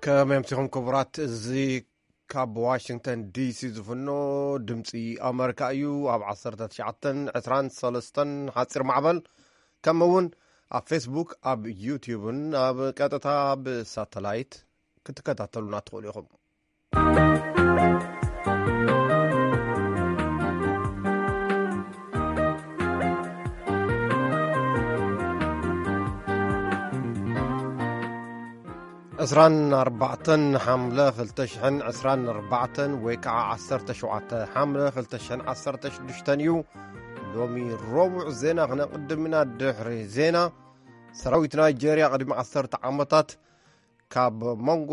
ከመይ ኣምሲኹም ክቡራት? እዚ ካብ ዋሽንግተን ዲሲ ዝፍኖ ድምፂ ኣመሪካ እዩ። ኣብ ዓሰርተ ትሽዓተን ዕስራን ሰለስተን ሓፂር ማዕበል፣ ከምኡ እውን ኣብ ፌስቡክ፣ ኣብ ዩቲዩብን ኣብ ቀጥታ ብሳተላይት ክትከታተሉና ትኽእሉ ኢኹም። ዕስራን ኣርባዕተን ሓምለ ክልተ ሽሕን ዕስራን ኣርባዕተን ወይ ከዓ ዓሰርተ ሸውዓተ ሓምለ ክልተ ሽሕን ዓሰርተ ሽዱሽተን እዩ። ሎሚ ረቡዕ ዜና ክነቕድም ኢና። ድሕሪ ዜና፣ ሰራዊት ናይጄርያ ቅድሚ ዓሰርተ ዓመታት ካብ መንጎ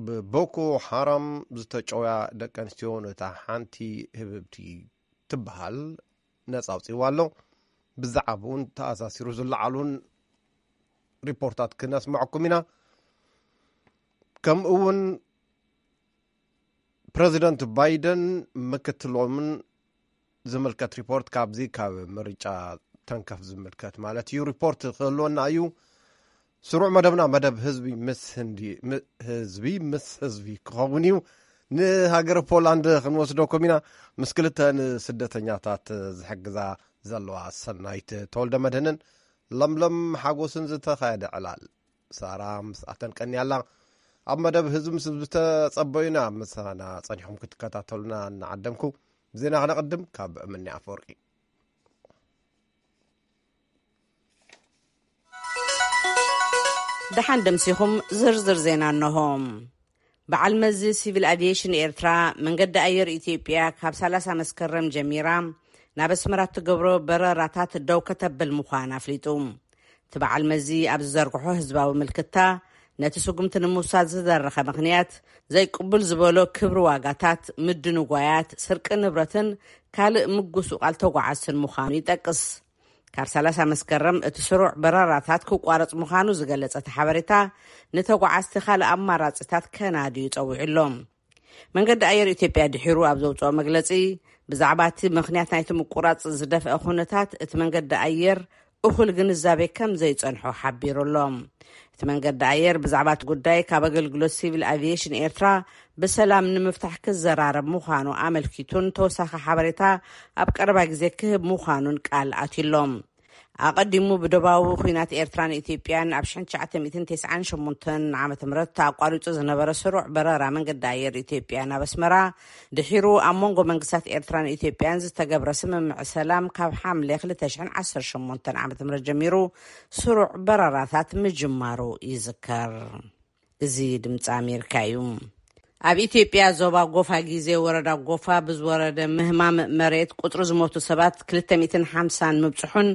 ብቦኮ ሓራም ዝተጨውያ ደቂ ኣንስትዮ ነታ ሓንቲ ህብብቲ ትበሃል ነጻ ኣውጺእዋ ኣሎ። ብዛዕባኡ እውን ተኣሳሲሩ ዝለዓሉን ሪፖርታት ክነስምዐኩም ኢና። ከምኡ እውን ፕረዚደንት ባይደን ምክትሎምን ዝምልከት ሪፖርት፣ ካብዚ ካብ ምርጫ ተንከፍ ዝምልከት ማለት እዩ፣ ሪፖርት ክህልወና እዩ። ስሩዕ መደብና፣ መደብ ህዝቢ ምስ ህንዲ፣ ም-፣ ህዝቢ ምስ ህዝቢ ክኸውን እዩ። ንሃገረ ፖላንድ ክንወስደኩም ኢና። ምስ ክልተ ንስደተኛታት ዝሕግዛ ዘለዋ ሰናይት ተወልደ መድህንን ለምለም ሓጎስን ዝተኻየደ ዕላል፣ ሳራ ምስኣተን ቀንያ ኣላ። ኣብ መደብ ህዝቢ ምስ ዝተጸበዩና፣ ምሳና ጸኒሕኩም ክትከታተሉና እናዓደምኩ፣ ዜና ክነቕድም ካብ እምኒ ኣፈወርቂ። ደሓን ደምሲኹም ዝርዝር ዜና እነሆ። በዓል መዚ ሲቪል ኣቪዬሽን ኤርትራ፣ መንገዲ ኣየር ኢትዮጵያ ካብ ሰላሳ መስከረም ጀሚራ ናብ ኣስመራ እትገብሮ በረራታት ደው ከተብል ምዃና ኣፍሊጡ። እቲ በዓል መዚ ኣብ ዝዘርግሖ ህዝባዊ ምልክታ፣ ነቲ ስጉምቲ ንምውሳድ ዝደረኸ ምኽንያት፣ ዘይቅቡል ዝበሎ ክብሪ ዋጋታት፣ ምድንጓያት፣ ስርቂ ንብረትን ካልእ ምጉስቋል ተጓዓዝትን ምዃኑ ይጠቅስ። ካብ ሰላሳ መስከረም እቲ ስሩዕ በረራታት ክቋረጽ ምዃኑ ዝገለጸ እቲ ሓበሬታ፣ ንተጓዓዝቲ ካልእ ኣማራጺታት ከናድዩ ጸዊዑ ኣሎ። መንገዲ ኣየር ኢትዮጵያ ድሒሩ ኣብ ዘውጽኦ መግለጺ፣ ብዛዕባ እቲ ምኽንያት ናይቲ ምቁራጽ ዝደፍአ ኩነታት፣ እቲ መንገዲ ኣየር እኹል ግንዛቤ ከም ዘይጸንሖ ሓቢሩ ኣሎ። እቲ መንገዲ ኣየር ብዛዕባ እቲ ጉዳይ ካብ ኣገልግሎት ሲቪል ኣቪዬሽን ኤርትራ ብሰላም ንምፍታሕ ክዘራረብ ምዃኑ ኣመልኪቱን ተወሳኺ ሓበሬታ ኣብ ቀረባ ግዜ ክህብ ምዃኑን ቃል ኣትዩ ኣሎ። ኣቐዲሙ ብዶባዊ ኲናት ኤርትራን ኢትዮጵያን ኣብ ሽሕን ትሽዓተ ሚእትን ተስዓን ሸሞንተን ዓመተ ምህረት ኣቋሪጹ ዝነበረ ስሩዕ በረራ መንገዲ ኣየር ኢትዮጵያ ናብ ኣስመራ፣ ድሒሩ ኣብ መንጎ መንግስታት ኤርትራን ኢትዮጵያን ዝተገብረ ስምምዕ ሰላም፣ ካብ ሓምለ ክልተ ሽሕን ዓሰርተ ሸሞንተን ዓመተ ምህረት ጀሚሩ ስሩዕ በረራታት ምጅማሩ ይዝከር። እዚ ድምፂ ኣሜሪካ እዩ። ኣብ ኢትዮጵያ ዞባ ጎፋ ግዜ ወረዳ ጎፋ ብዝወረደ ምህማም መሬት ቁፅሪ ዝሞቱ ሰባት ክልተ ሚእትን ሓምሳን ምብፅሑን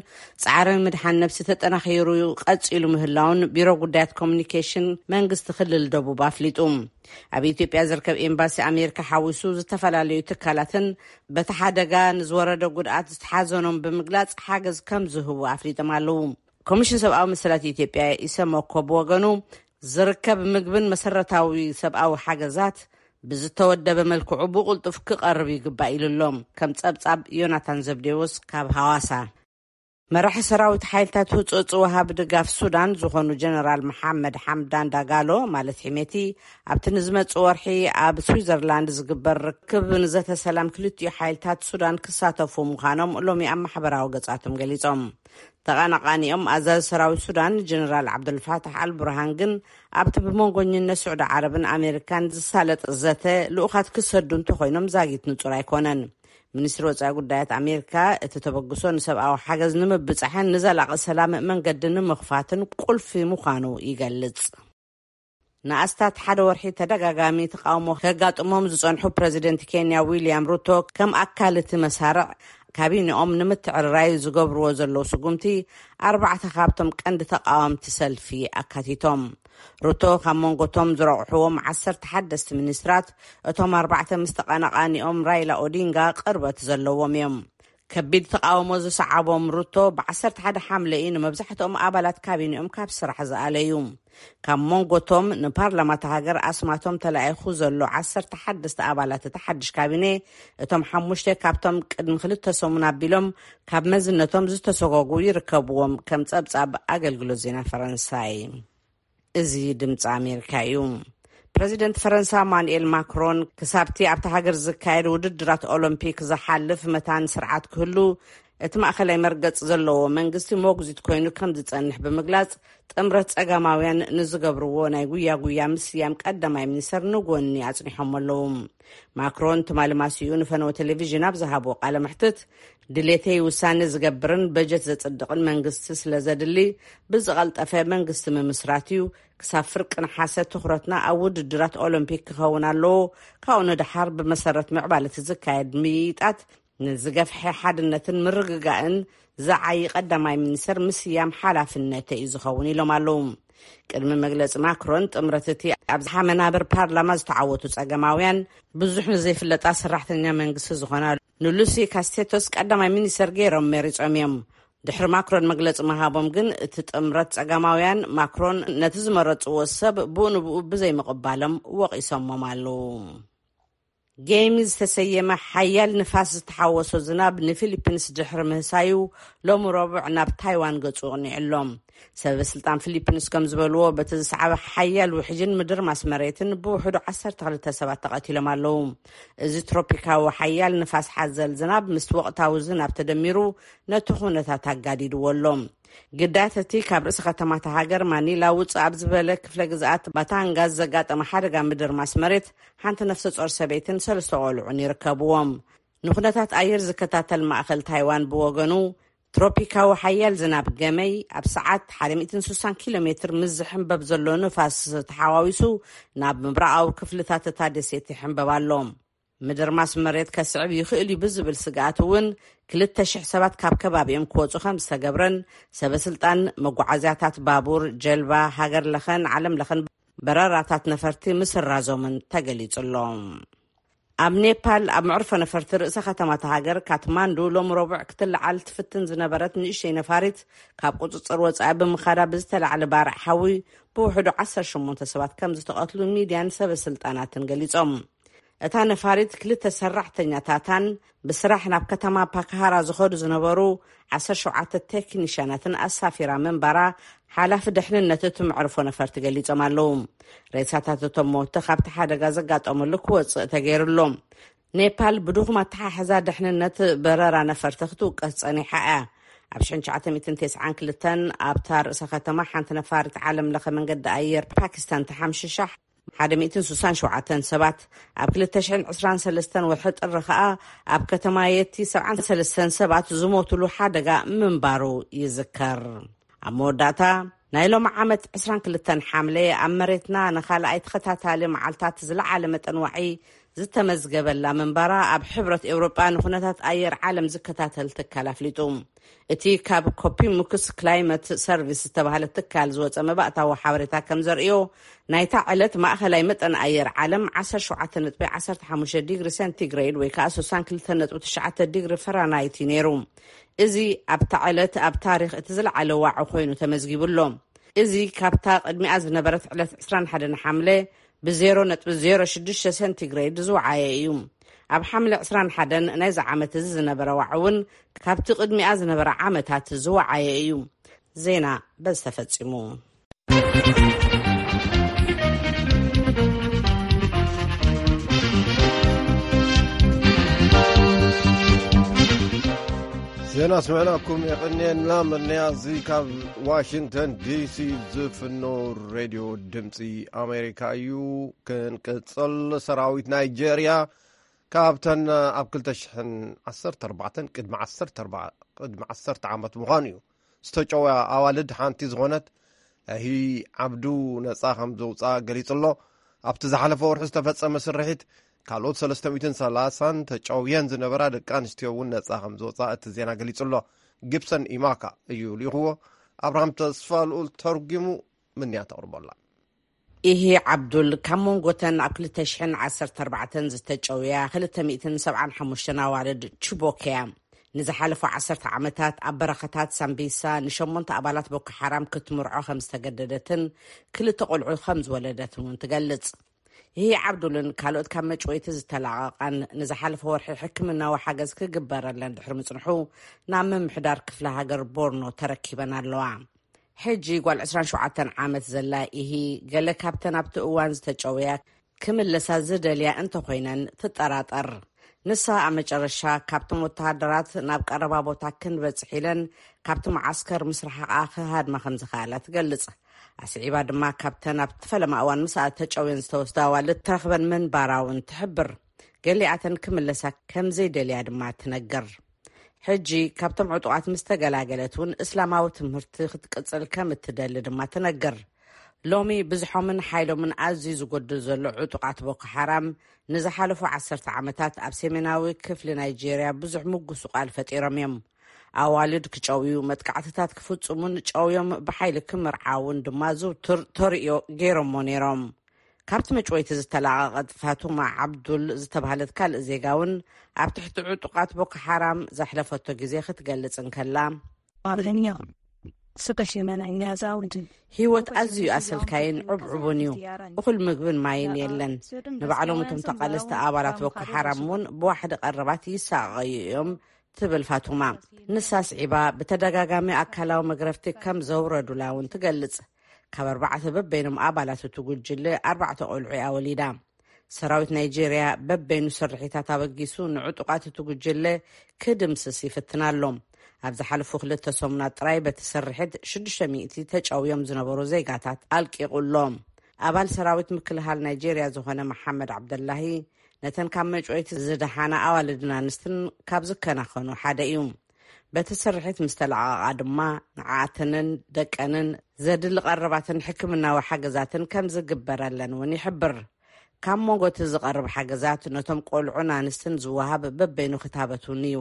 ፃዕሪ ምድሓን ነብሲ ተጠናኺሩ ቀፂሉ ምህላውን ቢሮ ጉዳያት ኮሚኒኬሽን መንግስቲ ክልል ደቡብ ኣፍሊጡ። ኣብ ኢትዮጵያ ዝርከብ ኤምባሲ ኣሜሪካ ሓዊሱ ዝተፈላለዩ ትካላትን በቲ ሓደጋ ንዝወረደ ጉድኣት ዝተሓዘኖም ብምግላፅ ሓገዝ ከም ዝህቡ ኣፍሊጦም ኣለዉ። ኮሚሽን ሰብኣዊ መሰላት ኢትዮጵያ ኢሰመኮ ብወገኑ፣ ዝርከብ ምግብን መሰረታዊ ሰብኣዊ ሓገዛት ብዝተወደበ መልክዑ ብቕልጡፍ ክቐርብ ይግባእ ኢሉ ኣሎ። ከም ጸብጻብ ዮናታን ዘብዴዎስ ካብ ሃዋሳ። መራሒ ሰራዊት ሓይልታት ህጹጽ ወሃቢ ድጋፍ ሱዳን ዝኾኑ ጀነራል መሓመድ ሓምዳን ዳጋሎ፣ ማለት ሒሜቲ፣ ኣብቲ ንዝመጽእ ወርሒ ኣብ ስዊዘርላንድ ዝግበር ርክብ ንዘተ ሰላም ክልቲኡ ሓይልታት ሱዳን ክሳተፉ ምዃኖም ሎሚ ኣብ ማሕበራዊ ገጻቶም ገሊጾም። ተቐናቓኒኦም ኣዛዚ ሰራዊት ሱዳን ጀነራል ዓብዱልፋታሕ ኣልቡርሃን ግን፣ ኣብቲ ብመንጎኝነት ስዑዲ ዓረብን ኣሜሪካን ዝሳለጥ ዘተ ልኡኻት ክሰዱ እንተኾይኖም ዛጊት ንጹር ኣይኮነን። ሚኒስትሪ ወጻኢ ጉዳያት ኣሜሪካ፣ እቲ ተበግሶ ንሰብኣዊ ሓገዝ ንምብጻሕን ንዘላቒ ሰላም መንገዲ ንምኽፋትን ቁልፊ ምዃኑ ይገልጽ። ንኣስታት ሓደ ወርሒ ተደጋጋሚ ተቃውሞ ከጋጥሞም ዝጸንሑ ፕረዚደንት ኬንያ ዊልያም ሩቶ፣ ከም ኣካል እቲ መሳርዕ ካቢኔኦም ንምትዕርራይ ዝገብርዎ ዘለዉ ስጉምቲ፣ ኣርባዕተ ካብቶም ቀንዲ ተቃወምቲ ሰልፊ ኣካቲቶም። ሩቶ ካብ መንጎቶም ዝረቑሕዎም ዓሰርተ ሓደስቲ ሚኒስትራት፣ እቶም ኣርባዕተ ምስ ተቐናቓኒኦም ራይላ ኦዲንጋ ቅርበት ዘለዎም እዮም። ከቢድ ተቃውሞ ዝሰዓቦም ሩቶ፣ ብ ዓሰርተ ሓደ ሓምለ እዩ ንመብዛሕትኦም ኣባላት ካቢኔኦም ካብ ስራሕ ዝኣለዩ። ካብ መንጎቶም ንፓርላማ እታ ሃገር ኣስማቶም ተላኢኹ ዘሎ ዓሰርተ ሓደሽተ ኣባላት እቲ ሓድሽ ካቢኔ፣ እቶም ሓሙሽተ ካብቶም ቅድሚ ክልተ ሰሙን ኣቢሎም ካብ መዝነቶም ዝተሰጎጉ ይርከብዎም፣ ከም ጸብጻብ ኣገልግሎት ዜና ፈረንሳይ። እዚ ድምፂ ኣሜሪካ እዩ። ፕረዚደንት ፈረንሳ ማኑኤል ማክሮን፣ ክሳብቲ ኣብታ ሃገር ዝካየድ ውድድራት ኦሎምፒክ ዝሓልፍ መታን ስርዓት ክህሉ፣ እቲ ማእኸላይ መርገፂ ዘለዎ መንግስቲ ሞግዚት ኮይኑ ከም ዝፀንሕ ብምግላፅ፣ ጥምረት ፀጋማውያን ንዝገብርዎ ናይ ጉያ ጉያ ምስያም ቀዳማይ ሚኒስተር ንጎኒ ኣፅኒሖም ኣለዉ። ማክሮን ትማሊ ማሲኡ ንፈነወ ቴሌቪዥን ኣብ ዝሃብዎ ቃለ መሕትት፣ ድሌተይ ውሳነ ዝገብርን በጀት ዘጽድቕን መንግስቲ ስለ ዘድሊ፣ ብዝቐልጠፈ መንግስቲ ምምስራት እዩ። ክሳብ ፍርቂ ነሓሰ ትኹረትና ኣብ ውድድራት ኦሎምፒክ ክኸውን ኣለዎ። ካብኡ ንደሓር ብመሰረት ምዕባለ እቲ ዝካየድ ምይይጣት፣ ንዝገፍሐ ሓድነትን ምርግጋእን ዝዓዪ ቀዳማይ ሚኒስተር ምስያም ሓላፍነተይ እዩ ዝኸውን ኢሎም ኣለዉ። ቅድሚ መግለጺ ማክሮን፣ ጥምረት እቲ ኣብ ዝሓ መናብር ፓርላማ ዝተዓወቱ ጸገማውያን፣ ብዙሕ ንዘይፍለጣ ሰራሕተኛ መንግስቲ ዝኾና ንሉሲ ካስቴቶስ ቀዳማይ ሚኒስተር ገይሮም መሪጾም እዮም። ድሕሪ ማክሮን መግለጺ ምሃቦም ግን፣ እቲ ጥምረት ጸጋማውያን፣ ማክሮን ነቲ ዝመረጽዎ ሰብ ብኡ ንብኡ ብዘይምቕባሎም ወቒሶሞም ኣለዉ። ጌሚ ዝተሰየመ ሓያል ንፋስ ዝተሓወሶ ዝናብ ንፊሊፒንስ ድሕሪ ምህሳዩ፣ ሎሚ ረቡዕ ናብ ታይዋን ገጹ ኣቕኒዑ ኣሎ። ሰበ ስልጣን ፊሊፒንስ ከም ዝበልዎ፣ በቲ ዝሰዓበ ሓያል ውሕጅን ምድርማስ መሬትን ብውሕዱ ዓሰርተ ክልተ ሰባት ተቐቲሎም ኣለዉ። እዚ ትሮፒካዊ ሓያል ንፋስ ሓዘል ዝናብ ምስ ወቕታዊ ዝናብ ተደሚሩ፣ ነቲ ኩነታት ኣጋዲድዎ ኣሎ። ግዳያት እቲ ካብ ርእሲ ከተማ እታ ሃገር ማኒላ ውጽእ ኣብ ዝበለ ክፍለ ግዝኣት ባታንጋዝ ዘጋጠመ ሓደጋ ምድርማስ መሬት፣ ሓንቲ ነፍሰ ጾር ሰበይትን ሰለስተ ቆልዑን ይርከብዎም። ንኩነታት ኣየር ዝከታተል ማእከል ታይዋን ብወገኑ፣ ትሮፒካዊ ሓያል ዝናብ ገመይ ኣብ ሰዓት ሓደ ሚእትን ስሳን ኪሎ ሜትር ምስ ዝሕንበብ ዘሎ ንፋስ ተሓዋዊሱ ናብ ምብራቓዊ ክፍልታት እታ ደሴት ይሕንበብ ኣሎ። ምድርማስ መሬት ከስዕብ ይኽእል እዩ ብዝብል ስግኣት እውን፣ ክልተ ሽሕ ሰባት ካብ ከባቢኦም ክወጹ ከም ዝተገብረን፣ ሰበ ስልጣን መጓዓዝያታት ባቡር፣ ጀልባ፣ ሃገር ለኸን ዓለም ለኸን በረራታት ነፈርቲ ምስራዞምን ተገሊጹ ኣሎ። ኣብ ኔፓል፣ ኣብ መዕርፎ ነፈርቲ ርእሰ ከተማ እታ ሃገር ካትማንዱ፣ ሎም ረቡዕ ክትለዓል ትፍትን ዝነበረት ንእሽተይ ነፋሪት ካብ ቁጽጽር ወጻኢ ብምኻዳ ብዝተላዕለ ባርዕ ሓዊ ብውሕዱ ዓሰርተ ሸሞንተ ሰባት ከም ዝተቐትሉ ሚድያን ሰበ ስልጣናትን ገሊጾም። እታ ነፋሪት ክልተ ሰራሕተኛታታን ብስራሕ ናብ ከተማ ፓካሃራ ዝኸዱ ዝነበሩ ዓሰርተ ሸውዓተ ቴክኒሽያናትን ኣሳፊራ ምንባራ ሓላፊ ድሕንነት እቲ መዕርፎ ነፈርቲ ገሊጾም ኣለዉ። ሬሳታት እቶም ሞተ ካብቲ ሓደጋ ዘጋጠመሉ ክወጽእ ተገይሩ ኣሎ። ኔፓል ብድኹም ኣተሓሕዛ ድሕንነት በረራ ነፈርቲ ክትውቀስ ጸኒሓ እያ። ኣብ ሽሕን ትሽዓተ ሚእትን ተስዓን ክልተን ኣብታ ርእሰ ከተማ ሓንቲ ነፋሪት ዓለም ለኸ መንገዲ ኣየር ፓኪስታን ተሓምሽሻ፣ ሓደ ሚእትን ስሳን ሸውዓተን ሰባት፣ ኣብ ክልተ ሽሕን ዕስራን ሰለስተን ወርሒ ጥሪ ኸኣ ኣብ ከተማ የቲ ሰብዓን ሰለስተን ሰባት ዝሞቱሉ ሓደጋ ምንባሩ ይዝከር። ኣብ መወዳእታ፣ ናይ ሎሚ ዓመት ዕስራን ክልተን ሓምለ ኣብ መሬትና ንኻልኣይ ተኸታታሊ መዓልታት ዝለዓለ መጠን ዋዒ ዝተመዝገበላ ምንባራ ኣብ ሕብረት ኤውሮጳ ንኩነታት ኣየር ዓለም ዝከታተል ትካል ኣፍሊጡ። እቲ ካብ ኮፒሙክስ ክላይመት ሰርቪስ ዝተባህለ ትካል ዝወጸ መባእታዊ ሓበሬታ ከም ዘርእዮ፣ ናይታ ዕለት ማእኸላይ መጠን ኣየር ዓለም ዓሰርተ ሸውዓተ ነጥቢ ዓሰርተ ሓሙሽተ ዲግሪ ሴንቲግሬድ ወይ ከኣ ስሳን ክልተ ነጥቢ ትሽዓተ ዲግሪ ፈራናይት እዩ ነይሩ። እዚ ኣብታ ዕለት ኣብ ታሪኽ እቲ ዝለዓለ ዋዒ ኮይኑ ተመዝጊቡ ኣሎ። እዚ ካብታ ቅድሚኣ ዝነበረት ዕለት ዕስራን ሓደን ሓምለ ብ ዜሮ ነጥቢ ዜሮ ሽዱሽተ ሴንቲግሬድ ዝወዓየ እዩ። ኣብ ሓምለ ዕስራን ሓደን ናይዚ ዓመት እዚ ዝነበረ ዋዒ እውን ካብቲ ቅድሚኣ ዝነበረ ዓመታት ዝወዓየ እዩ። ዜና በዚ ተፈጺሙ። ዜና ስምዕናኩም የቐንየና። መድነያ እዚ ካብ ዋሽንግተን ዲሲ ዝፍኖ ሬድዮ ድምፂ ኣሜሪካ እዩ። ክንቅፅል፣ ሰራዊት ናይጄርያ ካብተን ኣብ ክልተ ሽሕን ዓሰርተ ኣርባዕተን፣ ቅድሚ ዓሰርተ ኣርባዓ፣ ቅድሚ ዓሰርተ ዓመት ምዃኑ እዩ፣ ዝተጨወያ ኣዋልድ ሓንቲ ዝኾነት ኣሂ ዓብዱ ነጻ ከም ዘውፅኣ ገሊጹ ኣሎ። ኣብቲ ዝሓለፈ ወርሒ ዝተፈጸመ ስርሒት፣ ካልኦት ሰለስተ ሚእትን ሰላሳን ተጨውየን ዝነበራ ደቂ ኣንስትዮ እውን ነጻ ከም ዝወጻ እቲ ዜና ገሊጹ ኣሎ። ጊብሰን ኢማካ እዩ ልኢኽዎ። ኣብርሃም ተስፋ ልኡል ተርጒሙ፣ ምንያ ተቕርቦ ኣላ። ኢሂ ዓብዱል፣ ካብ መንጎተን ኣብ ክልተ ሽሕን ዓሰርተ ኣርባዕተን ዝተጨውያ ክልተ ሚእትን ሰብዓን ሓሙሽተን ኣዋልድ ችቦክ እያ። ንዝሓለፉ ዓሰርተ ዓመታት ኣብ በረኻታት ሳምቢሳ ንሸሞንተ ኣባላት ቦኮ ሓራም ክትምርዖ ከም ዝተገደደትን ክልተ ቆልዑ ከም ዝወለደትን እውን ትገልጽ። ይህ ዓብዱልን ካልኦት ካብ መጭወይቲ ዝተላቐቓን ንዝሓለፈ ወርሒ ሕክምናዊ ሓገዝ ክግበረለን ድሕሪ ምጽንሑ ናብ ምምሕዳር ክፍለ ሃገር ቦርኖ ተረኪበን ኣለዋ። ሕጂ ጓል ዕስራን ሸውዓተን ዓመት ዘላ ኢሂ፣ ገለ ካብተን ኣብቲ እዋን ዝተጨውያ ክምለሳ ዝደልያ እንተኾይነን ትጠራጠር። ንሳ ኣብ መጨረሻ ካብቶም ወተሃደራት ናብ ቀረባ ቦታ ክንበጽሕ ኢለን ካብቲ መዓስከር ምስ ረሓቓ ክሃድማ ከም ዝኸኣላ ትገልጽ። ኣስዒባ ድማ ካብተን ኣብቲ ፈለማ እዋን ምስኣ ተጨውየን ዝተወስዳ ኣዋልድ ትረኽበን ምንባራ እውን ትሕብር። ገሊኣተን ክምለሳ ከም ዘይደልያ ድማ ትነግር። ሕጂ ካብቶም ዕጡቓት ምስ ተገላገለት እውን እስላማዊ ትምህርቲ ክትቅጽል ከም እትደሊ ድማ ትነግር። ሎሚ ብዝሖምን ሓይሎምን ኣዝዩ ዝጎድል ዘሎ ዕጡቓት ቦኮ ሓራም ንዝሓለፉ ዓሰርተ ዓመታት ኣብ ሰሜናዊ ክፍሊ ናይጄርያ ብዙሕ ምጉሱ ቃል ፈጢሮም እዮም። ኣዋልድ ክጨውዩ፣ መጥቃዕትታት ክፍጽሙን ጨውዮም ብሓይሊ ክምርዓውን ድማ ዝውቱር ተርእዮ ገይሮሞ ነይሮም። ካብቲ መጭወይቲ ዝተላቐቐት ፋቱማ ዓብዱል ዝተባህለት ካልእ ዜጋ እውን ኣብ ትሕቲ ዕጡቓት ቦኮ ሓራም ዘሕለፈቶ ግዜ ክትገልጽ እንከላ፣ ህይወት ኣዝዩ ኣሰልካይን ዕብዕቡን እዩ። እኹል ምግብን ማይን የለን። ንባዕሎም እቶም ተቓለስቲ ኣባላት ቦኮ ሓራም እውን ብዋሕዲ ቀረባት ይሳቐዩ እዮም ትብል ፋቱማ። ንሳ ስዒባ ብተደጋጋሚ ኣካላዊ መግረፍቲ ከም ዘውረዱላ እውን ትገልጽ። ካብ ኣርባዕተ በበይኖም ኣባላት እቲ ጉጅለ ኣርባዕተ ቆልዑ እያ ወሊዳ። ሰራዊት ናይጄርያ በበይኑ ስርሒታት ኣበጊሱ ንዕጡቓት እቲ ጉጅለ ክድምስስ ይፍትን ኣሎ። ኣብ ዝሓለፉ ክልተ ሰሙናት ጥራይ በቲ ስርሒት ሽዱሽተ ሚእቲ ተጨውዮም ዝነበሩ ዜጋታት ኣልቂቑ ኣሎ። ኣባል ሰራዊት ምክልኻል ናይጄርያ ዝኾነ መሓመድ ዓብደላሂ ነተን ካብ መጭወይቲ ዝደሓና ኣዋልድን ኣንስትን ካብ ዝከናኸኑ ሓደ እዩ። በቲ ስርሒት ምስ ተለቓቓ ድማ ንዓኣተንን ደቀንን ዘድሊ ቀረባትን ሕክምናዊ ሓገዛትን ከም ዝግበረለን እውን ይሕብር። ካብ መንጎ እቲ ዝቐርብ ሓገዛት ነቶም ቆልዑን ኣንስትን ዝወሃብ በበይኑ ክታበት እውን እዩ።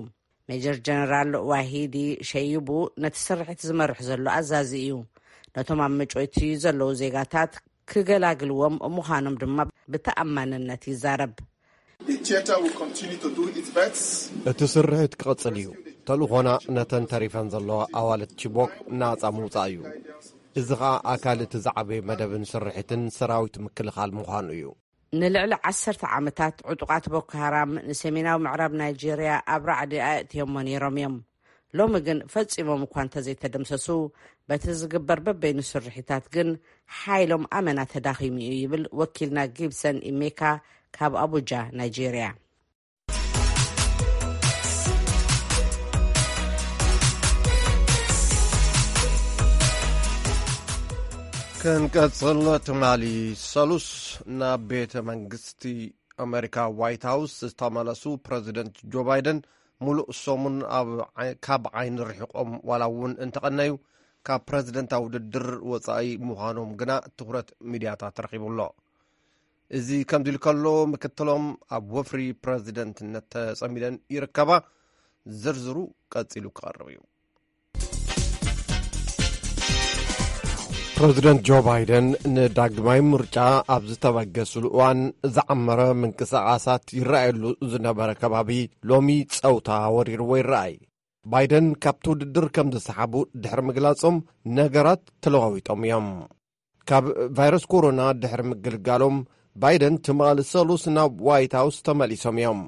ሜጀር ጀነራል ዋሂዲ ሸይቡ ነቲ ስርሒት ዝመርሕ ዘሎ ኣዛዚ እዩ። ነቶም ኣብ መጭወይቲ ዘለዉ ዜጋታት ክገላግልዎም ምዃኖም ድማ ብተኣማንነት ይዛረብ። The theater will continue to do its best. እቲ ስርሒት ክቕጽል እዩ። ተልእኾና ነተን ተሪፈን ዘለዋ ኣዋልድ ቺቦክ ናጻ ምውጻእ እዩ። እዚ ኸኣ ኣካል እቲ ዝዓበየ መደብን ስርሒትን ሰራዊት ምክልኻል ምዃኑ እዩ። ንልዕሊ ዓሰርተ ዓመታት ዕጡቓት ቦኮ ሃራም ንሰሜናዊ ምዕራብ ናይጄርያ ኣብ ራዕዲ ኣእትዮሞ ነይሮም እዮም። ሎሚ ግን ፈጺሞም እኳ እንተዘይተደምሰሱ፣ በቲ ዝግበር በበይኑ ስርሒታት ግን ሓይሎም ኣመና ተዳኺሙ እዩ ይብል ወኪልና ጊብሰን ኢሜካ ካብ ኣቡጃ ናይጄርያ። ክንቀጽል ትማሊ ሰሉስ ናብ ቤተ መንግስቲ ኣሜሪካ ዋይት ሃውስ ዝተመለሱ ፕረዚደንት ጆ ባይደን፣ ሙሉእ ሰሙን ኣብ ዓይ- ካብ ዓይኒ ርሒቖም ዋላ እውን እንተቐነዩ፣ ካብ ፕረዚደንታዊ ውድድር ወጻኢ ምዃኖም ግና ትኹረት ሚድያታት ረኺቡ ኣሎ። እዚ ከምዚ ኢሉ ከሎ፣ ምክትሎም ኣብ ወፍሪ ፕረዚደንትነት ተጸሚደን ይርከባ። ዝርዝሩ ቀጺሉ ክቐርብ እዩ። ፕረዚደንት ጆ ባይደን ንዳግማይ ምርጫ ኣብ ዝተበገስሉ እዋን፣ ዝዓመረ ምንቅስቓሳት ይረኣየሉ ዝነበረ ከባቢ ሎሚ ጸውታ ወሪርዎ ይረኣይ። ባይደን ካብቲ ውድድር ከም ዝሰሓቡ ድሕሪ ምግላጾም፣ ነገራት ተለዋዊጦም እዮም። ካብ ቫይረስ ኮሮና ድሕሪ ምግልጋሎም፣ ባይደን ትማሊ ሰሉስ ናብ ዋይት ሃውስ ተመሊሶም እዮም።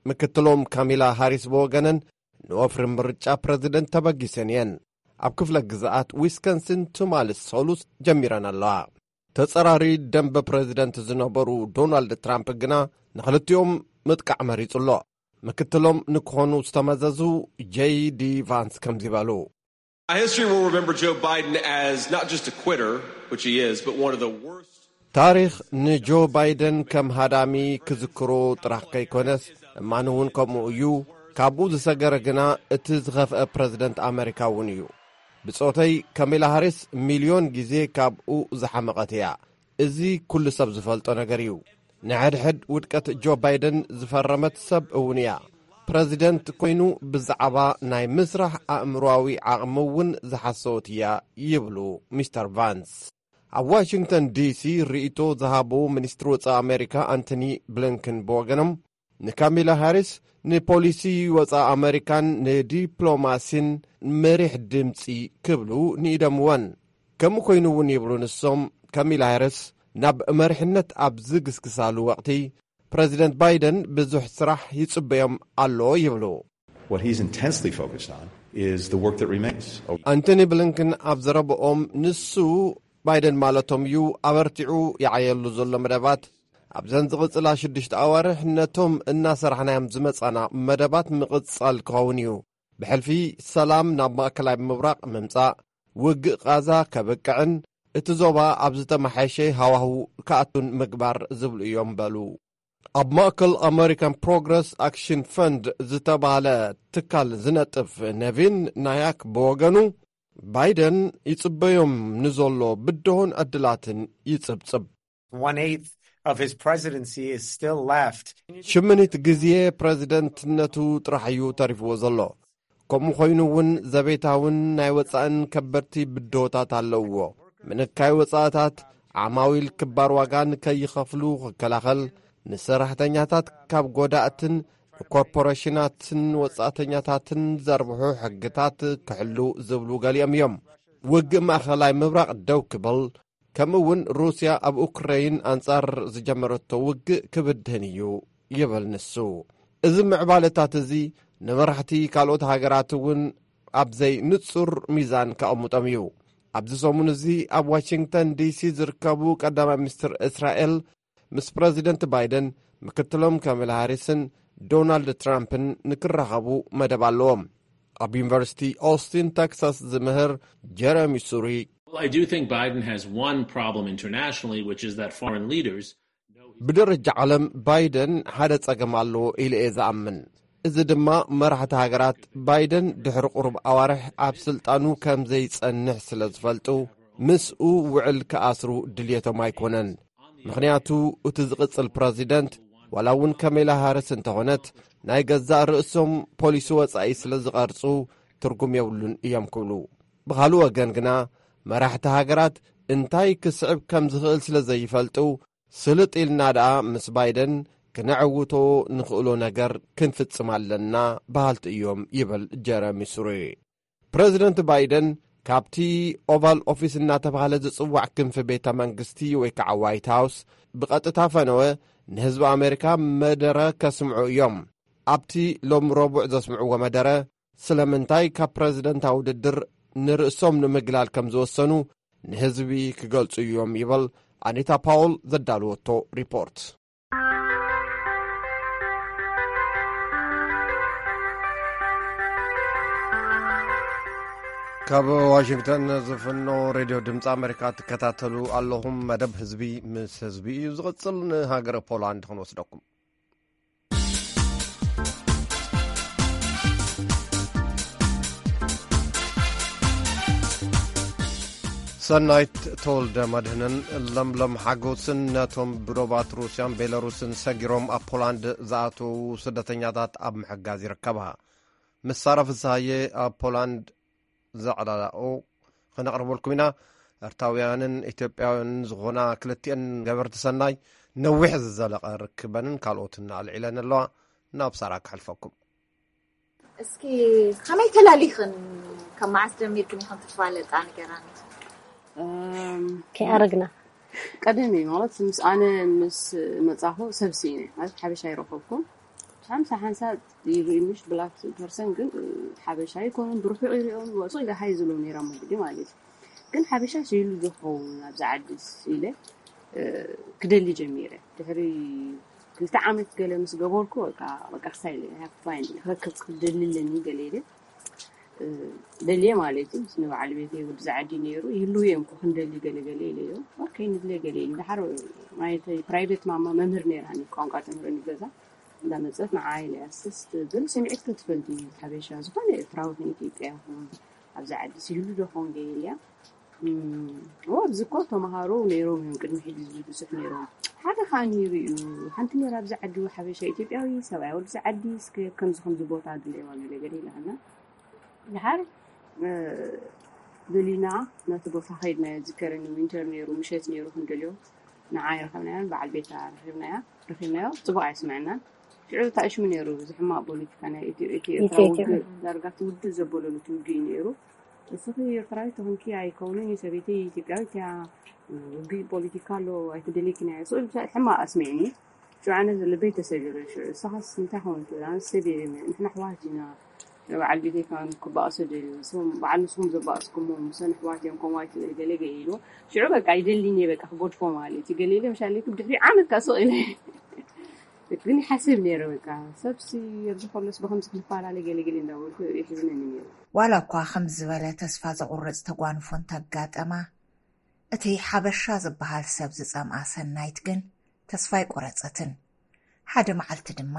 ምክትሎም ካሚላ ሃሪስ ብወገነን፣ ንወፍሪ ምርጫ ፕረዚደንት ተበጊሰን እየን። ኣብ ክፍለ ግዝኣት ዊስኮንሲን ትማሊ ሰሉስ ጀሚረን ኣለዋ። ተጸራሪ ደንበ ፕረዚደንት ዝነበሩ ዶናልድ ትራምፕ ግና ንኽልቲኦም ምጥቃዕ መሪጹ ኣሎ። ምክትሎም ንክኾኑ ዝተመዘዙ ጄይ ዲ ቫንስ ከምዚ በሉ። History will remember Joe Biden as not just a quitter, which he is, but one of the worst. ታሪኽ ንጆ ባይደን ከም ሃዳሚ ክዝክሮ ጥራሕ ከይኮነስ፣ እማን እውን ከምኡ እዩ። ካብኡ ዝሰገረ ግና እቲ ዝኸፍአ ፕረዚደንት ኣመሪካ እውን እዩ። ብጾተይ፣ ካሚላ ሃሪስ ሚልዮን ግዜ ካብኡ ዝሓመቐት እያ። እዚ ኩሉ ሰብ ዝፈልጦ ነገር እዩ። ንሕድሕድ ውድቀት ጆ ባይደን ዝፈረመት ሰብ እውን እያ። ፕረዚደንት ኮይኑ ብዛዕባ ናይ ምስራሕ ኣእምሮኣዊ ዓቕሚ እውን ዝሓሰወት እያ ይብሉ ሚስተር ቫንስ። ኣብ ዋሽንግተን ዲሲ ርእይቶ ዝሃቡ ሚኒስትሪ ወጻኢ ኣሜሪካ ኣንቶኒ ብሊንከን ብወገኖም፣ ንካሚላ ሃሪስ ንፖሊሲ ወፃኢ ኣመሪካን ንዲፕሎማሲን መሪሕ ድምፂ ክብሉ ንኢደምወን። ከምኡ ኮይኑ እውን ይብሉ ንሶም፣ ካሚላ ሃሪስ ናብ መሪሕነት ኣብ ዝግስግሳሉ ወቕቲ ፕረዚደንት ባይደን ብዙሕ ስራሕ ይጽበዮም ኣሎ ይብሉ። What he's intensely focused on is the work that remains. ኣንቶኒ ብሊንከን ኣብ ዘረብኦም፣ ንሱ ባይደን ማለቶም እዩ፣ ኣበርቲዑ ይዓየሉ ዘሎ መደባት ኣብዘን ዝቕጽላ ሽዱሽተ ኣዋርሕ ነቶም እናሰራሕናዮም ዝመጻና መደባት ምቕጻል ክኸውን እዩ። ብሕልፊ ሰላም ናብ ማእከላይ ምብራቕ ምምጻእ፣ ውግእ ቓዛ ከብቅዕን እቲ ዞባ ኣብ ዝተመሓየሸ ሃዋህው ክኣቱን ምግባር ዝብሉ እዮም በሉ። ኣብ ማእከል ኣመሪካን ፕሮግረስ ኣክሽን ፈንድ ዝተባህለ ትካል ዝነጥፍ ነቪን ናያክ ብወገኑ፣ ባይደን ይጽበዮም ንዘሎ ብድሆን ዕድላትን ይጽብጽብ። One eighth of his presidency is still left. ሽምኒት ግዜ ፕረዚደንትነቱ ጥራሕ እዩ ተሪፍዎ ዘሎ። ከምኡ ኮይኑ እውን ዘቤታውን ናይ ወጻእን ከበድቲ ብድሆታት ኣለውዎ። ምንካይ ወጻእታት፣ ዓማዊል ክባር ዋጋ ንከይኸፍሉ ክከላኸል፣ ንሰራሕተኛታት ካብ ጎዳእትን ንኮርፖሬሽናትን ወጻእተኛታትን ዘርብሑ ሕግታት ክሕሉ ዝብሉ ገሊኦም እዮም። ውግእ ማእኸላይ ምብራቕ ደው ክብል፣ ከምኡ እውን ሩስያ ኣብ ኡክረይን ኣንጻር ዝጀመረቶ ውግእ ክብድህን እዩ ይብል ንሱ። እዚ ምዕባለታት እዚ ንመራሕቲ ካልኦት ሃገራት እውን ኣብ ዘይንጹር ሚዛን ከቐምጦም እዩ። ኣብዚ ሰሙን እዚ ኣብ ዋሽንግተን ዲሲ ዝርከቡ ቀዳማይ ሚኒስትር እስራኤል ምስ ፕረዚደንት ባይደን፣ ምክትሎም ካማላ ሃሪስን ዶናልድ ትራምፕን ንክራኸቡ መደብ ኣለዎም። ኣብ ዩኒቨርሲቲ ኦስቲን ቴክሳስ ዝምህር ጀረሚ ሱሪ፣ Well, I do think Biden has one problem internationally, which is that foreign leaders ብደረጃ ዓለም ባይደን ሓደ ጸገም ኣለዎ ኢለ እየ ዝኣምን። እዚ ድማ መራሕቲ ሃገራት ባይደን ድሕሪ ቁሩብ ኣዋርሕ ኣብ ስልጣኑ ከም ዘይጸንሕ ስለ ዝፈልጡ ምስኡ ውዕል ክኣስሩ ድልየቶም ኣይኮነን። ምኽንያቱ እቲ ዝቕጽል ፕረዚደንት ዋላ እውን ካማላ ሃሪስ እንተኾነት ናይ ገዛእ ርእሶም ፖሊሲ ወጻኢ ስለ ዝቐርጹ ትርጉም የብሉን እዮም ክብሉ። ብኻልእ ወገን ግና መራሕቲ ሃገራት እንታይ ክስዕብ ከም ዝኽእል ስለ ዘይፈልጡ ስልጥ ኢልና ደኣ ምስ ባይደን ክነዕውቶ ንኽእሎ ነገር ክንፍጽም ኣለና በሃልቲ እዮም ይብል ጀረሚ ሱሪ። ፕረዚደንት ባይደን ካብቲ ኦቫል ኦፊስ እናተባህለ ዝጽዋዕ ክንፊ ቤተ መንግስቲ ወይ ከዓ ዋይት ሃውስ ብቐጥታ ፈነወ ንህዝቢ ኣሜሪካ መደረ ከስምዑ እዮም። ኣብቲ ሎም ረቡዕ ዘስምዕዎ መደረ ስለምንታይ ካብ ፕረዚደንታዊ ውድድር ንርእሶም ንምግላል ከም ዝወሰኑ ንህዝቢ ክገልጹ እዮም ይብል ኣኒታ ፓውል ዘዳልወቶ ሪፖርት። ካብ ዋሽንግተን ዝፍኖ ሬድዮ ድምፂ ኣሜሪካ ትከታተሉ ኣለኹም። መደብ ህዝቢ ምስ ህዝቢ እዩ ዝቕፅል። ንሃገረ ፖላንድ ክንወስደኩም። ሰናይት ተወልደ መድህንን ለምለም ሓጎስን ነቶም ብዶባት ሩስያን ቤላሩስን ሰጊሮም ኣብ ፖላንድ ዝኣተዉ ስደተኛታት ኣብ ምሕጋዝ ይርከባ። ምስ ሳራ ፍስሃየ ኣብ ፖላንድ ዘዕላላኦ ክነቕርበልኩም ኢና። ኤርትራውያንን ኢትዮጵያውያንን ዝኾና ክልቲኤን ገበርቲ ሰናይ ነዊሕ ዝዘለቐ ርክበንን ካልኦትን ኣልዒለን ኣለዋ። ናብ ሳራ ክሕልፈኩም። እስኪ ከመይ ተላሊኽን ካብ መዓስ ጀሚርክን ኢኽን ትፋለጣ ንገራኒ። ከይኣረግና ቀደም እዩ ማለት ምስ ኣነ ምስ መጻኹ ሰብ ስኢነ ማለት ሓበሻ ይረኸብኩም ሓምሳ ሓንሳ ይብሉ ኢንግሊሽ ብላክ ፐርሰን ግን ሓበሻ ይኮኑን ብርሑቕ ይሪኦም ወፁ ኢለ ሃይ ዝብሎ ነይራ መግዲ ማለት እዩ ግን ሓበሻ ስኢሉ ዝኸውን ኣብዚ ዓዲ ኢለ ክደሊ ጀሚረ ድሕሪ ክልተ ዓመት ገለ ምስ ገበርኩ በቃ በቃ ክሳይ ኢለ ክረክብ ክደሊ ኣለኒ ገለ ኢለ ደልየ ማለት እዩ ምስ ንበዓል ቤተይ ወዲ ዝዓዲ ነይሩ ይህልው እዮም እኮ ክንደሊ ገለ ገለ ኢለዮ ኦኬ ንድለ ገለ ኢለ ድሓር ማየተይ ፕራይቬት ማማ መምህር ነይራኒ ቋንቋ ተምህረኒ ገዛ እንዳመፀት ንዓይ ኢለ ኣስስ ትብል ስምዒት ክትፈልጥ እዩ ሓበሻ ዝኾነ ኤርትራዊ ኢትዮጵያ ይኹን ኣብዚ ዓዲ ይህሉ ዶ ኾን ገይር እያ ኣብዚ እኮ ተምሃሮ ነይሮም እዮም ቅድሚ ሕጂ ዝብል ብዙሕ ነይሮም ሓደ ከዓ ነይሩ እዩ ሓንቲ ነይራ ኣብዚ ዓዲ ሓበሻ ኢትዮጵያዊ ሰብኣይ ወዲ ዓዲ እስከ ከምዚ ከምዚ ቦታ ድለይዋ ገለ ገለ ኢላና ድሓር ደሊና ነቲ ቦታ ከይድና ዝከረኒ ዊንተር ነይሩ ምሸት ነይሩ ክንደልዮ ንዓ ይረኸብናዮ በዓል ቤታ ረኺብናያ ረኺብናዮ ፅቡቅ ኣይስምዐናን ሽዑ ተኣሽሙ ነይሩ። እዚ ሕማቕ ፖለቲካ ናይ ኢትዮ ኢትዮ ኤርትራ ኢትዮ ኤርትራ። ውግእ ዳርጋ ትውድእ ዘበለሉ ውግእ እዩ ነይሩ። እስኺ ኤርትራዊት ተኾንኪ ኣይከውንን፣ ሰበይቲ ኢትዮጵያዊት እያ፣ ውግእ ፖለቲካ ኣሎ ኣይትደልይክን እያ። ስቕ ኢሉ ብቻ ሕማቕ ኣስሚዕኒ። ሽዑ ኣነ ልበይ ተሰቢሩ። ሽዑ እሳኻስ እንታይ ኾንኪ? ኣነ ሰብ እየ፣ ንሕና ኣሕዋት ኢና። በዓል ቤተይ ከማን ክባእሶ ደልዩ። ንስኹም በዓል ንስኹም ዘባእስኩሞ ምሰን ኣሕዋት እዮም፣ ከምኡ ኣይትበሊ ገለ ገለ ኢሉ። ሽዑ በቃ ይደልይኒ እየ በቃ ክገድፎ ማለት እዩ። ገለ ኢለ ምሻለይ ብድሕሪ ዓመት ከኣ ስቕ ኢለ። ግን ይሓስብ ነይረ በቃ ሰብሲ ኣብዚ ከሎስ ብኸምዚ ክንፈላለ ገለ ገለ እንዳበልኩ ይሕዝነኒ ነይሩ። ዋላ እኳ ከምዚ ዝበለ ተስፋ ዘቑርጽ ተጓንፎ እንተጋጠማ፣ እቲ ሓበሻ ዝበሃል ሰብ ዝጸምኣ ሰናይት ግን ተስፋ ኣይቆረጸትን። ሓደ መዓልቲ ድማ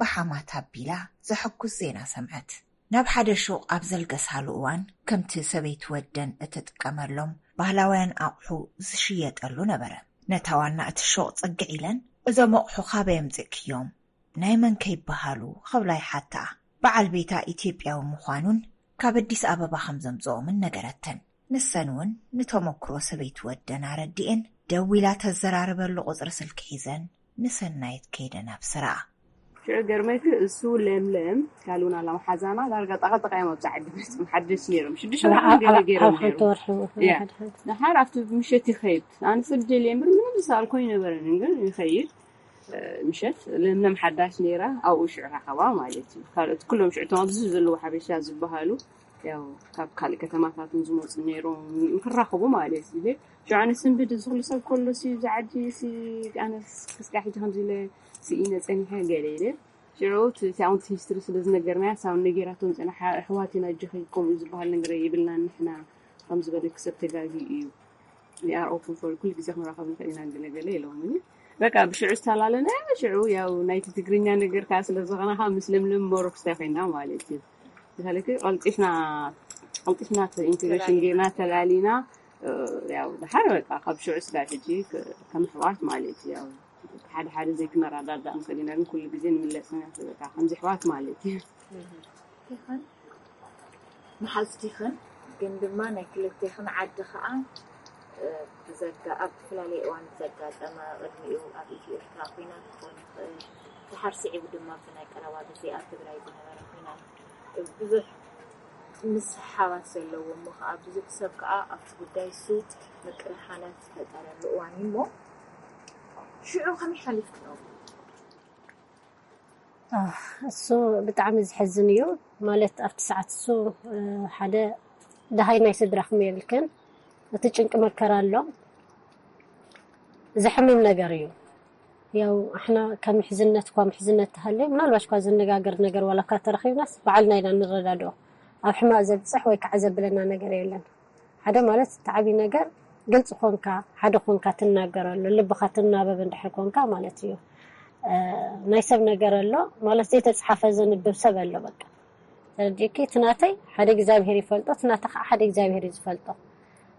ብሓማት ኣቢላ ዘሐጉስ ዜና ሰምዐት። ናብ ሓደ ሹቕ ኣብ ዘልገሳሉ እዋን፣ ከምቲ ሰበይቲ ወደን እትጥቀመሎም ባህላውያን ኣቑሑ ዝሽየጠሉ ነበረ። ነታ ዋና እቲ ሹቕ ጽግዕ ኢለን፣ "እዞም ኣቑሑ ካበይ ኣምጺእክዮም? ናይ መን ከ ይበሃሉ?" ክብላ ይሓትኣ። በዓል ቤታ ኢትዮጵያዊ ምዃኑን ካብ ኣዲስ ኣበባ ከም ዘምጽኦምን ነገረተን። ንሰን እውን ንተመክሮ ሰበይቲ ወደን ኣረዲኤን፣ ደዊላ ተዘራርበሉ ቁጽሪ ስልኪ ሒዘን ንሰናይት ከይደን ኣብስርኣ። ሽዑ ገርመኪ እሱ ለምለም ካልኡን ኣላ መሓዛና ዳርጋ ጠቐጠቐ እዮም ኣብዚ ዓዲ መፅም ሓደሽ ነይሮም ሽዱሽተ ወርሒ ገለ ገይሮም ነይሮም። ያ። ንሓር ኣብቲ ምሸት ይኸይድ ኣነ ስድል እየ እምበር ምንም ዝሰኣልኮ ኣይነበረንን ግን ይኸይድ። ምሸት ለምለም ሓዳሽ ነይራ ኣብኡ ሽዑ ረኸባ ማለት እዩ። ካልኦት ኩሎም ሽዑ እቶም ኣብዚ ዘለዉ ሓበሻ ዝበሃሉ ያው ካብ ካልእ ከተማታት እውን ዝመፁ ነይሮም ንክራኸቡ ማለት እዩ። ሽዑ ኣነ ስንብድ እዚ ኩሉ ሰብ ከሎ ሲ እዚ ዓዲ ሲ ኣነ ክስካዕ ሕጂ ከምዚ ኢለ ስኢነ ፀኒሐ ገለ ኢለ ሽዑ እቲ ኣውንት ሂስትሪ ስለ ዝነገርናያ ሳብ ነጌራቶም ፀና ኣሕዋት ኢና እጅኸ ከምኡ ዝበሃል ነገር የብልና ንሕና ከም ዝበለኪ ሰብ ተጋጊ እዩ። We are open for ኩሉ ግዜ ክንራኸብ ንኽእል ኢና ገለ ገለ ኢሎምኒ። በቃ ብሽዑ ዝተላለና ሽዑ ያው ናይቲ ትግርኛ ነገር ከዓ ስለ ዝኾነ ከዓ ምስ ለምለም ሞር ክስታይ ኮይና ማለት እዩ። ብሳለኪ ቀልጢፍና ቀልጢፍና ኢንቴግሬሽን ጌርና ተላሊና ያው ድሓር በቃ ካብ ሽዑ ስጋብ ሕጂ ከም ኣሕዋት ማለት እዩ። ያው ሓደ ሓደ ዘይክነረዳዳእ ንኽእል ኢና ግን ኩሉ ግዜ ንምለስ ኢና በቃ ከምዚ ኣሕዋት ማለት እዩ። መሓዝቲኽን ግን ድማ ናይ ክልቴኽን ዓዲ ከዓ ብዘጋ ኣብ ዝተፈላለየ እዋን ብዘጋጠመ ቅድሚኡ ኣብ ኢትዮ ኤርትራ ኩናት ክኾን ይኽእል ድሓር ስዒቡ ድማ ብናይ ቀረባ ግዜ ኣብ ትግራይ ዝነበረ ኩናት ብዙሕ ምስሕሓባት ዘለዎ እሞ ከዓ ብዙሕ ሰብ ከዓ ኣብቲ ጉዳይ እሱ ምቅርሓናት ዝፈጠረሉ እዋን እዩ እሞ ሽዑ ከመይ ሓሊፍክኖ? እሱ ብጣዕሚ ዝሕዝን እዩ። ማለት ኣብቲ ሰዓት እሱ ሓደ ደሃይ ናይ ስድራኹም የብልክን፣ እቲ ጭንቂ መከራ ኣሎ። ዘሕምም ነገር እዩ። ያው ኣሕና ካብ ምሕዝነት እኳ ምሕዝነት ተሃልዮ ምናልባሽ እኳ ዝነጋገር ነገር ዋላ እኳ ተረኺብናስ ባዕልና ኢና ንረዳድኦ። ኣብ ሕማቕ ዘብፅሕ ወይ ከዓ ዘብለና ነገር የለን። ሓደ ማለት እቲ ዓብዪ ነገር ግልፂ ኮንካ ሓደ ኮንካ ትናገረሉ ልብኻ ትናበብ እንድሕር ኮንካ ማለት እዩ። ናይ ሰብ ነገር ኣሎ ማለት ዘይተፅሓፈ ዘንብብ ሰብ ኣሎ በቃ ተረዲእኪ እቲ ናተይ ሓደ እግዚኣብሄር ይፈልጦ እቲ ናታ ከዓ ሓደ እግዚኣብሄር እዩ ዝፈልጦ።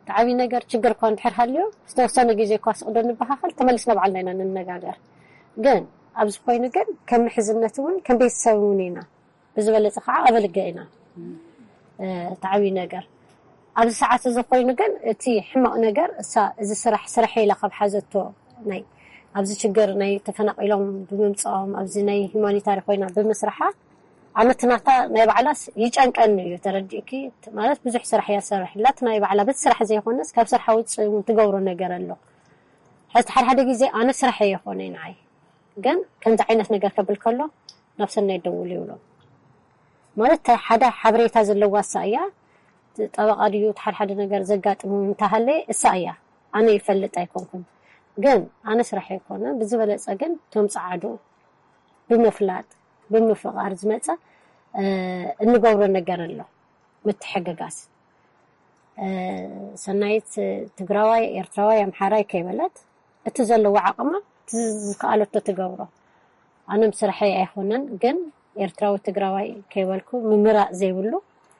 እቲ ዓብዪ ነገር ችግር እኳ እንድሕር ሃልዮ ዝተወሰነ ግዜ እኳ ስቕ ዶ ንበሃኸል ተመሊስና ባዕልና ኢና ንነጋገር። ግን ኣብዚ ኮይኑ ግን ከም ምሕዝነት እውን ከም ቤተሰብ እውን ኢና ብዝበለፀ ከዓ ኣበልገ ኢና እቲ ዓብዪ ነገር ኣብዚ ሰዓት እዚ ኮይኑ ግን እቲ ሕማቕ ነገር እሳ እዚ ስራሕ ስራሕ ኢላ ካብ ሓዘቶ ናይ ኣብዚ ችግር ናይ ተፈናቒሎም ብምምፅኦም ኣብዚ ናይ ሂማኒታሪ ኮይና ብምስርሓ ኣነ እቲ ናታ ናይ ባዕላስ ይጨንቀኒ እዩ ተረዲእኪ ማለት ብዙሕ ስራሕ እያ ትሰርሕ ኣላ እቲ ናይ ባዕላ በቲ ስራሕ ዘይኮነስ ካብ ስርሓ ውፅእ እውን ትገብሮ ነገር ኣሎ ሕዚ ሓደ ሓደ ግዜ ኣነ ስራሕ እየ ይኾነ ንዓይ ግን ከምዚ ዓይነት ነገር ከብል ከሎ ናብ ሰናይ ደውሉ ይብሎ ማለት ሓደ ሓበሬታ ዘለዋ እሳ እያ ጠበቃ ድዩ ሓደ ሓደ ነገር ዘጋጥሙ እንተሃለ እሳ እያ ኣነ ይፈልጥ ኣይኮንኩን ግን ኣነ ስራሕ ኣይኮነ ብዝበለፀ ግን እቶም ፀዓዱ ብምፍላጥ ብምፍቃር ዝመፀ እንገብሮ ነገር ኣሎ ምትሕግጋዝ ሰናይት ትግራዋይ ኤርትራዋይ ኣምሓራይ ከይበለት እቲ ዘለዎ ዓቕማ ዝከኣለቶ ትገብሮ ኣነም ስርሐይ ኣይኮነን ግን ኤርትራዊ ትግራዋይ ከይበልኩ ምምራፅ ዘይብሉ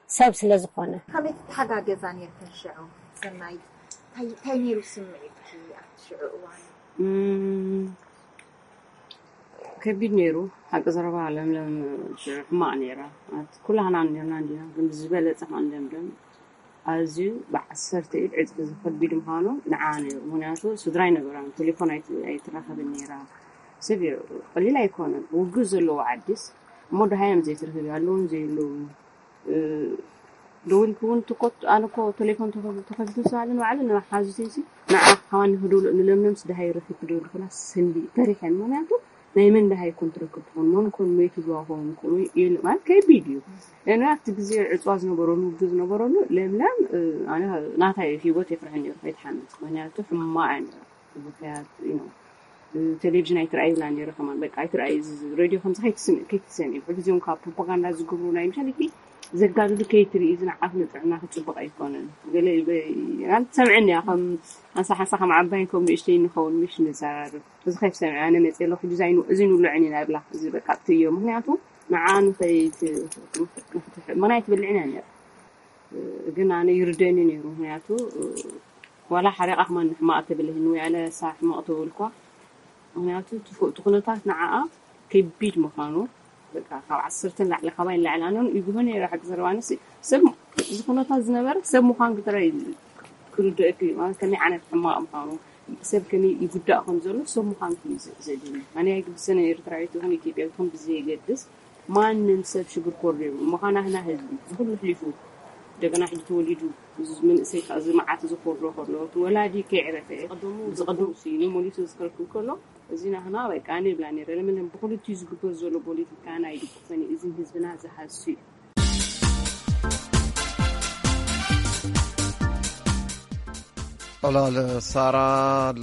ሰብ ስለ ዝኾነ። ከመይ ትተሓጋገዛ ነርክን ሽዑ ሰናይት? እንታይ ነይሩ ስምዒትኪ ኣብቲ ሽዑ እዋን? ከቢድ ነይሩ ሓቂ ዘረባ ለምለም ሽዑ ሕማቕ ነይራ። ኩላህና ነርና እንዲና ግን ዝበለፀ ከዓ ለምለም ኣዝዩ ብዓሰርተ ኢድ ዕፅፊ ዝኸቢድ ምዃኑ ንዓ ነይሩ። ምኽንያቱ ስድራ ኣይነበራን፣ ቴሌፎን ኣይትራኸብን ነይራ። ስቪር ቀሊል ኣይኮነን። ውግእ ዘለዎ ዓዲስ እሞ ደሃዮም ዘይትረኽብ ኣለውን ዘይለውን ደውልኪ እውን ትኮት ኣነ እኮ ቴሌፎን ተኸፊቱ ስባለ ንባዕሉ ንሓዙተይሲ ንዓ ሓዋኒ ክድውሎ ንለምለምስ ደሃይ ረኺብ ክድውል ክላ ስንዲ ተሪሐን። ምክንያቱ ናይ መን ደሃይ ኮን ትረክብ ትኾን መን ኮን መይቱ ዝዋኾን ኮን ኢሉ ማለት ከቢድ እዩ። እና ኣብቲ ግዜ ዕፅዋ ዝነበረሉ ውግእ ዝነበረሉ ለምለም ኣነ ናታይ ህይወት የፍርሐን ነሩ ከይትሓምት ምክንያቱ ሕማቕ እያ ነራ። ምክንያት ቴሌቪዥን ኣይትረኣይ ይብላ ነረ ከማን በቃ ኣይትረኣይ ሬድዮ ከምዚ ከይትሰምዒ ሕዚ እዚኦም ካብ ፕሮፓጋንዳ ዝገብሩ ናይ ምሻል ግ ዘጋድዱ ከይትርኢ እዚ ንዓፍ ንጥዕና ክፅቡቅ ኣይኮነን። ገለ ትሰምዕኒ እያ ከም ሓንሳ ሓንሳ ከም ዓባይን ከም ንእሽተይ ንኸውን ምሽ ንዘራርብ እዚ ከይትሰምዒ ኣነ መፅእ ኣለኹ ሕጂ እዚ ንብልዕን ኢና ይብላ እዚ በቃ ትእዮ ምክንያቱ ንዓ ንኸይት ምክንያት ትብልዕን እያ ነረ ግን ኣነ ይርደኒ ነይሩ ምክንያቱ ዋላ ሓሪቓ ከማን ሕማቕ ተብልህኒ ወይ ኣለ ሳ ሕማቕ ተበልኳ ምክንያቱ እቲ ኩነታት ንዓኣ ከቢድ ምዃኑ በቃ ካብ ዓሰርተ ንላዕሊ ካባይ ንላዕሊ ኣነ ይግሆ ነይረ ሓቂ ዘረባ ኣነሲ ሰብ እዚ ኩነታት ዝነበረ ሰብ ምዃን ግጥረ ክርድእክ እዩ ማለት ከመይ ዓይነት ሕማቕ ምዃኑ ሰብ ከመይ ይጉዳእ ከም ዘሎ ሰብ ምዃን ክዩ ዘድሊ ኣነ ኣይግብሰነ ኤርትራዊት ይኹን ኢትዮጵያዊት ይኹን ብዘየገድስ ማንም ሰብ ሽግር ኮር የብሉ ምዃና ህና ህዝቢ ብኩሉ ሕሊፉ እንደገና ሕጂ ተወሊዱ እዚ መንእሰይ ከዓ እዚ መዓት እዚ ክወርዶ ከሎ እቲ ወላዲ ከይዕረፈ ቀደሙ ዝቀደሙ ስኢኑ መሊሱ ዝከልክል ከሎ እዚ ናህና በቃ ኣነ ይብላ ነረ ለምን ብክልቲኡ ዝግበር ዘሎ ፖለቲካ ናይ ድግፈን እዩ እዚ ህዝብና ዝሃሱ እዩ። ዕላል ሳራ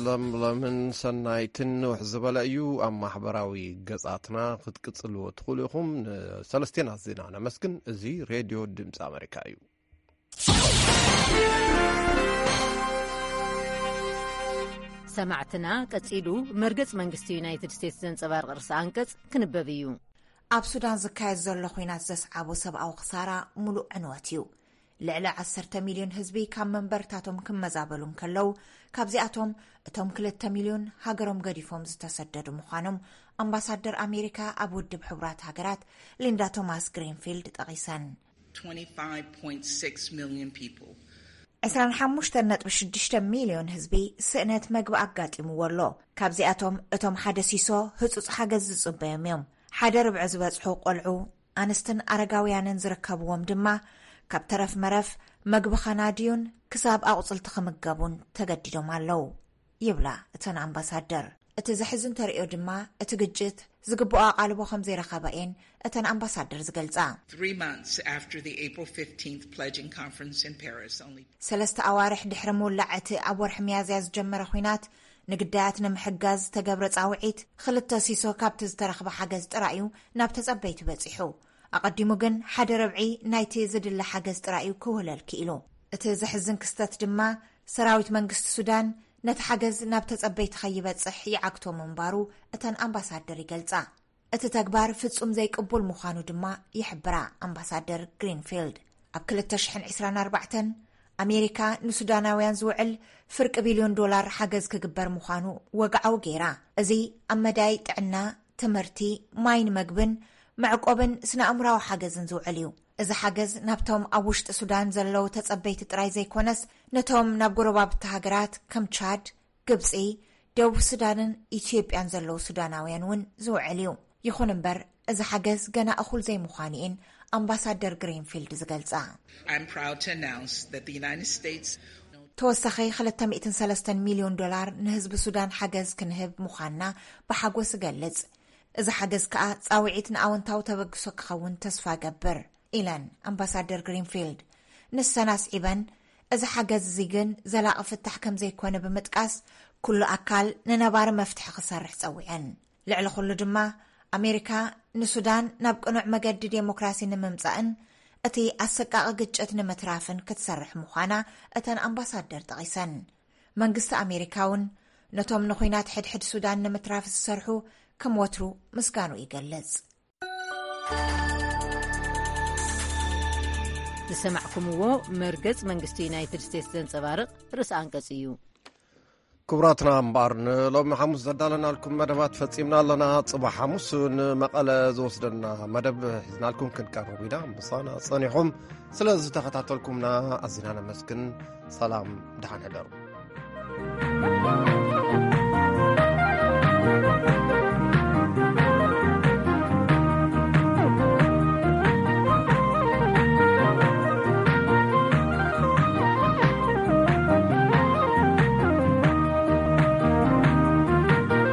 ለምለምን ሰናይትን ንውሕ ዝበለ እዩ። ኣብ ማሕበራዊ ገጻትና ክትቅጽልዎ ትኽእሉ ኢኹም። ንሰለስቴና ዜና ነመስግን። እዚ ሬድዮ ድምፂ ኣሜሪካ እዩ። ሰማዕትና ቀጺሉ መርገጽ መንግስቲ ዩናይትድ ስቴትስ ዘንጸባርቕ ርእሲ ኣንቀጽ ክንበብ እዩ። ኣብ ሱዳን ዝካየድ ዘሎ ኹናት ዘስዓቦ ሰብኣዊ ክሳራ ሙሉእ ዕንወት እዩ። ልዕሊ ዓሰርተ ሚልዮን ህዝቢ ካብ መንበርታቶም ክመዛበሉ እንከለዉ፣ ካብዚኣቶም እቶም ክልተ ሚልዮን ሃገሮም ገዲፎም ዝተሰደዱ ምዃኖም ኣምባሳደር ኣሜሪካ ኣብ ውድብ ሕቡራት ሃገራት ሊንዳ ቶማስ ግሪንፊልድ ጠቒሰን። ዕስራን ሓሙሽተን ነጥቢ ሽዱሽተ ሚልዮን ህዝቢ ስእነት መግቢ ኣጋጢምዎ ኣሎ። ካብዚኣቶም እቶም ሓደ ሲሶ ህጹጽ ሓገዝ ዝጽበዮም እዮም። ሓደ ርብዒ ዝበጽሑ ቆልዑ፣ ኣንስትን ኣረጋውያንን ዝርከብዎም ድማ ካብ ተረፍ መረፍ መግቢ ኸናድዩን ክሳብ ኣቑጽልቲ ክምገቡን ተገዲዶም ኣለዉ ይብላ እተን ኣምባሳደር። እቲ ዘሕዝን ተርእዮ ድማ እቲ ግጭት ዝግብኦ ኣቓልቦ ከም ዘይረኸባ እየን እተን ኣምባሳደር ዝገልጻ። Three months after the April fifteenth pledging conference in Paris, only ሰለስተ ኣዋርሕ ድሕሪ ምውላዕ እቲ ኣብ ወርሒ ሚያዝያ ዝጀመረ ኹናት ንግዳያት ንምሕጋዝ ዝተገብረ ጻውዒት ክልተ ሲሶ ካብቲ ዝተረኽበ ሓገዝ ጥራይ እዩ ናብ ተጸበይቲ በጺሑ። ኣቐዲሙ ግን ሓደ ረብዒ ናይቲ ዝድለ ሓገዝ ጥራይ እዩ ክውህለል ክኢሉ። እቲ ዘሕዝን ክስተት ድማ ሰራዊት መንግስቲ ሱዳን ነቲ ሓገዝ ናብ ተጸበይቲ ከይበጽሕ ይዓግቶ ምንባሩ እተን ኣምባሳደር ይገልጻ። እቲ ተግባር ፍጹም ዘይቅቡል ምዃኑ ድማ ይሕብራ ኣምባሳደር ግሪንፊልድ። ኣብ ክልተ ሽሕን ዕስራን ኣርባዕተን ኣሜሪካ ንሱዳናውያን ዝውዕል ፍርቂ ቢልዮን ዶላር ሓገዝ ክግበር ምዃኑ ወግዓዊ ገይራ። እዚ ኣብ መዳይ ጥዕና፣ ትምህርቲ፣ ማይን መግብን፣ መዕቆብን ስነ ኣእምራዊ ሓገዝን ዝውዕል እዩ። እዚ ሓገዝ ናብቶም ኣብ ውሽጢ ሱዳን ዘለዉ ተጸበይቲ ጥራይ ዘይኮነስ ነቶም ናብ ጎረባብቲ ሃገራት ከም ቻድ፣ ግብጺ፣ ደቡብ ሱዳንን ኢትዮጵያን ዘለዉ ሱዳናውያን እውን ዝውዕል እዩ። ይኹን እምበር እዚ ሓገዝ ገና እኹል ዘይምዃኑ እየን ኣምባሳደር ግሪንፊልድ ዝገልጻ። I'm proud to announce that the United States ተወሳኺ ክልተ ሚእትን ሰለስተን ሚልዮን ዶላር ንህዝቢ ሱዳን ሓገዝ ክንህብ ምዃንና ብሓጎስ እገልጽ። እዚ ሓገዝ ከኣ ጻውዒት ንኣወንታዊ ተበግሶ ክኸውን ተስፋ እገብር ኢለን ኣምባሳደር ግሪንፊልድ። ንሰን ኣስዒበን፣ እዚ ሓገዝ እዚ ግን ዘላቒ ፍታሕ ከም ዘይኮነ ብምጥቃስ፣ ኩሉ ኣካል ንነባሪ መፍትሒ ክሰርሕ ጸዊዐን። ልዕሊ ኩሉ ድማ ኣሜሪካ ንሱዳን ናብ ቅኑዕ መገዲ ዴሞክራሲ ንምምጻእን እቲ ኣሰቃቒ ግጭት ንምትራፍን ክትሰርሕ ምዃና እተን ኣምባሳደር ጠቒሰን። መንግስቲ ኣሜሪካ እውን ነቶም ንኹናት ሕድሕድ ሱዳን ንምትራፍ ዝሰርሑ ከም ወትሩ ምስጋኑ ይገልጽ። ዝሰማዕኩምዎ መርገጽ መንግስቲ ዩናይትድ ስቴትስ ዘንጸባርቕ ርእሲ ኣንቀጽ እዩ። ክቡራትና እምበኣር ንሎሚ ሓሙስ ዘዳለናልኩም መደባት ፈጺምና ኣለና። ጽባሕ ሓሙስ ንመቐለ ዝወስደና መደብ ሒዝናልኩም ክንቀርብ ኢና። ምሳና ጸኒኹም ስለ ዝተኸታተልኩምና ኣዚና ነመስግን። ሰላም፣ ደሓን ሕደሩ።